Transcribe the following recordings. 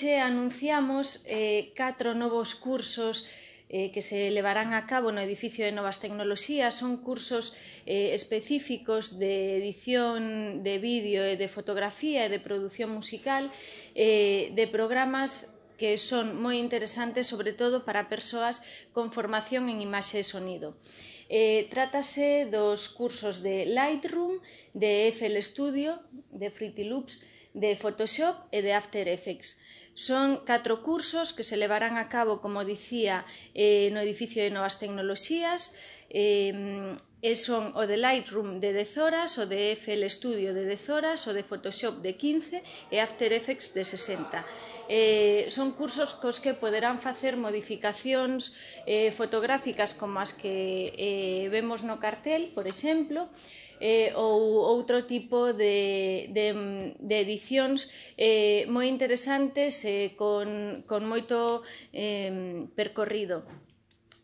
Anunciamos 4 novos cursos que se levarán a cabo no edificio de Novas Tecnoloxías. Son cursos específicos de edición de vídeo e de fotografía e de produción musical de programas que son moi interesantes, sobre todo para persoas con formación en imaxe e sonido. Trátase dos cursos de Lightroom, de FL Studio, de Fruity Loops, de Photoshop e de After Effects. Son 4 cursos que se levarán a cabo, como dicía, no edificio de Novas Tecnoloxías. Son o de Lightroom de 10 horas, o de FL Studio de 10 horas, o de Photoshop de 15 e After Effects de 60. Son cursos cos que poderán facer modificacións fotográficas como as que vemos no cartel, por exemplo, ou outro tipo de edicións moi interesantes con moito percorrido.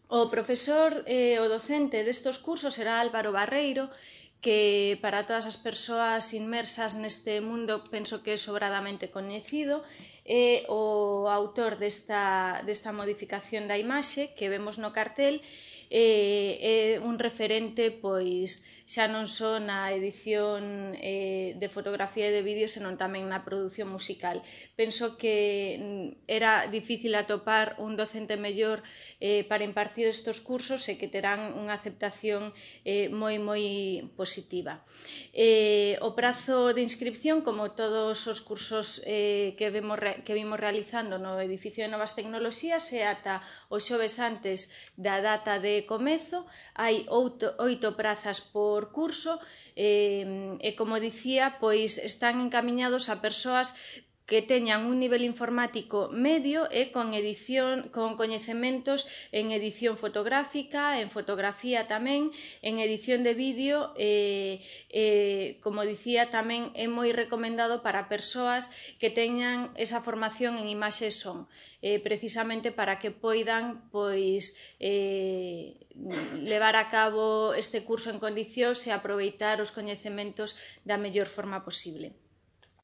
O profesor, o docente destes cursos será Álvaro Barreiro, que para todas as persoas inmersas neste mundo penso que é sobradamente coñecido. É o autor desta modificación da imaxe que vemos no cartel. É un referente, pois, xa non só na edición de fotografía e de vídeo, senón tamén na produción musical. Penso que era difícil atopar un docente mellor para impartir estes cursos e que terán unha aceptación moi positiva. O prazo de inscripción, como todos os cursos que vimos realizando no edificio de Novas Tecnoloxías, é ata o xoves antes da data de comezo. Hai 8 prazas por curso e, como dicía, pois están encamiñados a persoas que teñan un nivel informático medio e con coñecementos en edición fotográfica, en fotografía tamén, en edición de vídeo. Como dicía, tamén é moi recomendado para persoas que teñan esa formación en imaxe e son, precisamente para que poidan levar a cabo este curso en condicións e aproveitar os coñecementos da mellor forma posible.